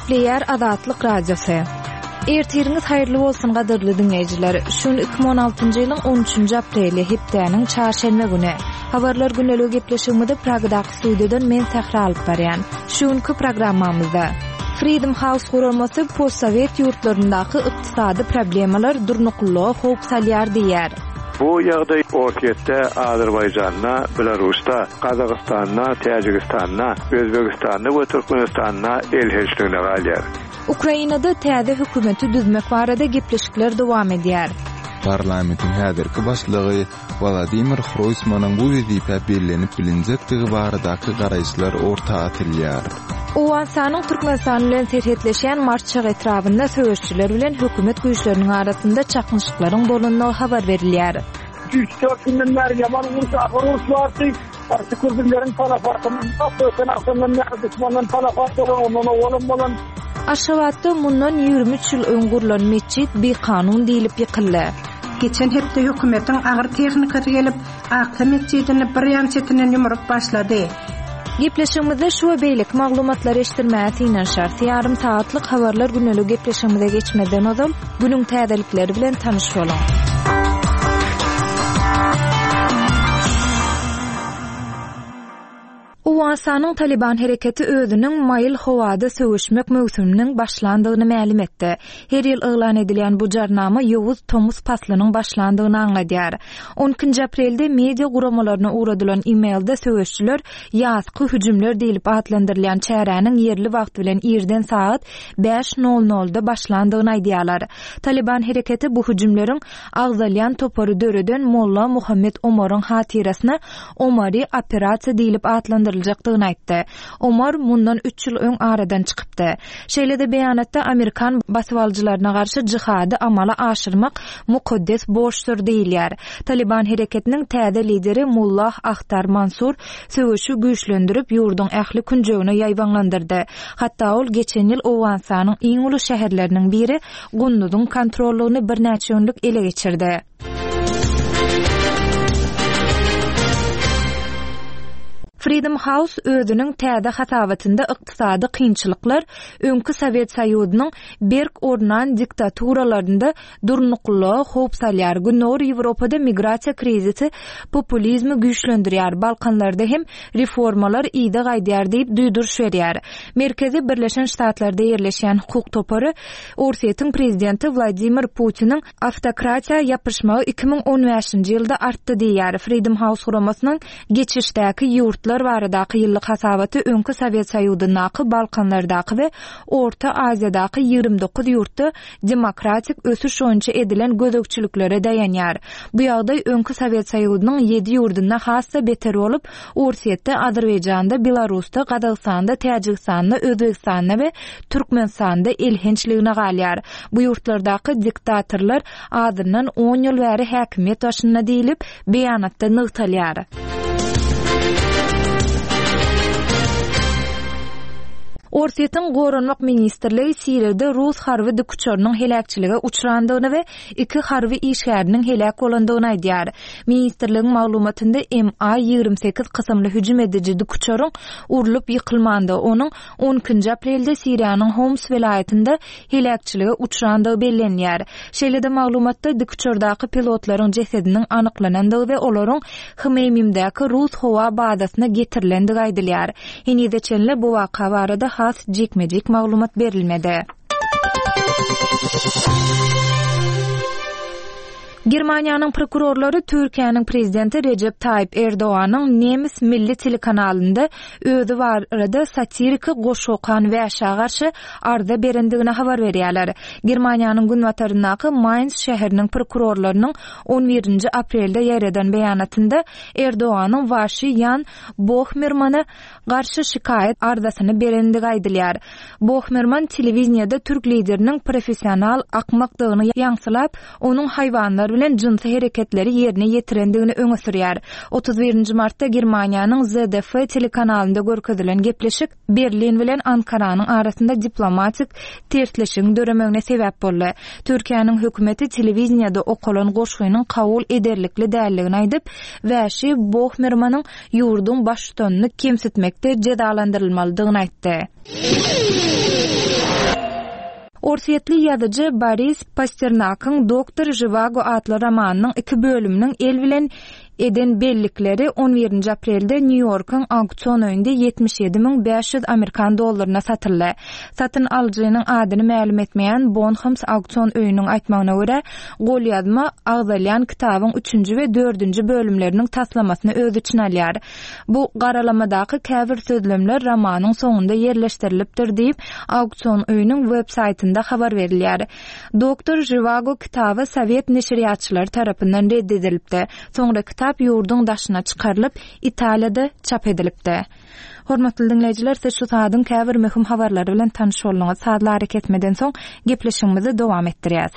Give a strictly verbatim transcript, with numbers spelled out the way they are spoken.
Gepleýär Azatlyk Radiosy. Ertiriňiz haýyrly bolsun gadyrly diňleýjiler. Şu gün iki müň on altynjy ýylyň on üçünji apreli, hepdäniň çarşenbe güni. Habarlar gündeligi gepleşigimizi Pragadaky studiýadan men Sähra alyp barýan. Şu günki programmamyzda Freedom House guramasy postsowet ýurtlaryndaky ykdysady problemalar durnuklylyga howp salýar diýýär. Bu ýagdaý Orsýetde, Azerbaýjanda, Belarusda, Gazagystanda, Täjigistanda, Özbegistanda we Türkmenistanda elhençligine galýar. Ukrainada täze hökümeti düzmek barada gepleşikler dowam edýär. Parlamentiň häzirki başlygy Wladimir Hroýsmanyň bu wezipä bellenip bilinjekdigi baradaky garaýyşlar orta atylýar. Owganystanyň Türkmenistan bilen serhetleşýän Marçak etrabynda söweşçiler bilen hökümet güýçleriniň arasynda çaknyşyklaryň bolandygy habar berilýär. Üç dört günden bäri ýaman uruş, agyr uruş bardy. Garşy kürdünleriň talafatyndan, öten akşamdan bäri düşmandan talafat bolan, ondan owalam bolan. Aşgabatda mundan ýigrimi üç ýyl öň gurlan metjit bikanun diýlip ýykyldy. Geçen hepde hökümetiň agyr tehnikasy gelip, Aksa metjidini bir ýan çetinden ýumrup başlady. Gepleşigimizde şu we beýleki maglumatlary eşitdirmäge synanyşarys. Ýarym saatlyk habarlar gündelik gepleşigimize geçmezden ozal günüň täzelikleri bilen tanyş boluň. Owganystanyň Taliban hereketi özüniň maýyl howada söweşmek möwsüminiň başlandygyny mälim etdi. Her ýyl yglan edilýän bu jarnama ýowuz tomus paslynyň başlandygyny aňladýar. On ikinji aprelde media guramalaryna ugradylan e-mailde söweşçiler ýazky hüjümler diýlip atlandyrylýan çäräniň ýerli wagt bilen irden saat bäş nol nolda başlandygyny aýdýarlar. Taliban hereketi bu hüjümleriň agzalýan topary döreden Molla Muhammed Omaryň hatyrasyna Omari operasiýa diýlip atlandyryljakdygyny aýtdy. Omar mundan üç ýyl öň aradan çykypdy. Şeýle-de beýanatda Amerikan basybalyjylaryna garşy jihady amala aşyrmak mukaddes borçdur diýilýär. Taliban hereketiniň täze lideri Mullah Ahtar Mansur söweşi güýçlendirip ýurduň ähli künjegine ýaýbaňlandyrdy. Hatda ol geçen ýyl Owganystanyň iň uly şäherleriniň biri Gunduzyň kontrollygyny birnäçe günlük ele geçirdi. Freedom House özüniň täze hasabatynda ykdysady kynçylyklar öňki Sowet Soýuzynyň berk ornan diktaturalarynda durnuklylyga howp salýar. Gündogar Ýewropada migrasiýa krizisi populizmi güýçlendirýär. Balkanlarda hem reformalar ýygy gaýdýar diýip duýduryş berýär. Merkezi Birleşen Ştatlarda ýerleşýän hukuk topary Orsýetiň prezidenti Wladimir Putiniň awtokratiýa ýapyşmagy iki müň on bäşinji ýylda artdy diýýär. Freedom House guramasynyň geçişdäki ýurtlar baradaky ýyllyk hasabaty öňki Sowet Soýuzyndaky, Balkanlardaky we Orta Aziýadaky ýigrimi dokuz ýurtda demokratik ösüş boýunça edilen gözegçiliklere daýanýar. Bu ýagdaý öňki Sowet Soýuzynyň ýedi ýurdunda has-da beter bolup, Orsýetde, Azerbaýjanda, Belarusda, Gazagystanda, Täjigistanda, Özbegistanda we Türkmenistanda elhençligine galýar. Bu ýurtlardaky diktatorlar azyndan on ýyl bäri häkimiýet başynda diýlip, beýanatda nygtalýar. Orsýetiň Goranmak ministrligi Siriýada Rus harby dikuçarynyň heläkçilige uçrandygyny we iki harby işgäriniň heläk bolandygyny aýdýar. Ministrligiň maglumatynda M A ýigrimi sekiz kysymly hüjüm ediji dikuçaryň urlup ýykylmandygy, onuň on ikinji aprelde Siriýanyň Homs welaýatynda heläkçilige uçrandygy bellenýär. Şeýle-de maglumatda dikuçardaky pilotlaryň jesediniň anyklanandygy we olaryň Hmeýmimdäki Rus howa bazasyna getirilendigi aýdylýar. Henize çenli bu waka barada has jikme-jik maglumat berilmedi. Germaniýanyň prokurorlary Türkiýäniň prezidenti Recep Tayyip Erdoganyň Nemes milli telekanalynda özi barada satiriki goşgy okan wäşä garşy arza berendigini habar berýärler. Germaniýanyň günbataryndaky Mainz şäheriniň prokurorlarynyň on birinji aprelde ýaýradan beýanatynda Erdoganyň Waşi Ýan Bohmermana garşy şikaýat arzasyny berendigi aýdylýar. Bohmerman telewiziyada türk lideriniň professional akmakdygyny ýaňsylap, onuň haýwanlar bilen jynsy hereketleri ýerine ýetirendigini öňe sürýär. Otuz birinji martda Germaniýanyň Z D F telekanalynda görkezilen gepleşik Berlin bilen Ankaranyň arasynda diplomatik tersleşigiň döremegine sebäp boldy. Türkiýäniň hökümeti telewiziyada okalan goşgynyň kabul ederlikli dälligini aýdyp, Wäşi Bohmermanyň ýurduň baştutanyny kemsitmekde jezalandyrylmalydygyny aýtdy. Orsýetli ýazyjy Boris Pasternakyň Doktor Žiwago atly romanynyň iki bölüminiň el bilen eden bellikleri on birinji aprelde Nýu-Ýorkuň auksion öýünde ýetmiş ýedi müň bäş ýüz amerikan dollaryna satyldy. Satyn alyjynyň adyny mälim etmeýän Bonhams auksion öýüniň aýtmagyna görä, golýazma agzalýan kitabyň üçünji we dördünji bölümleriniň taslamasyny öz içine alýar. Bu garalamadaky käbir sözlemler romanyň soňunda ýerleşdirilipdir diýip, auksion öýüniň web saýtynda habar berilýär. Doktor Žiwago kitaby sowet neşirýatçylary tarapyndan red edilipdi. Soňra kitap ýurduň daşyna çykarylyp, Italiýada çap edilipdi. Hormatly diňleýjiler, siz şu saadyň käbir möhüm habarlary bilen tanyş bolduňyz. Sazly arakesmeden soň gepleşigimizi dowam etdirýäs.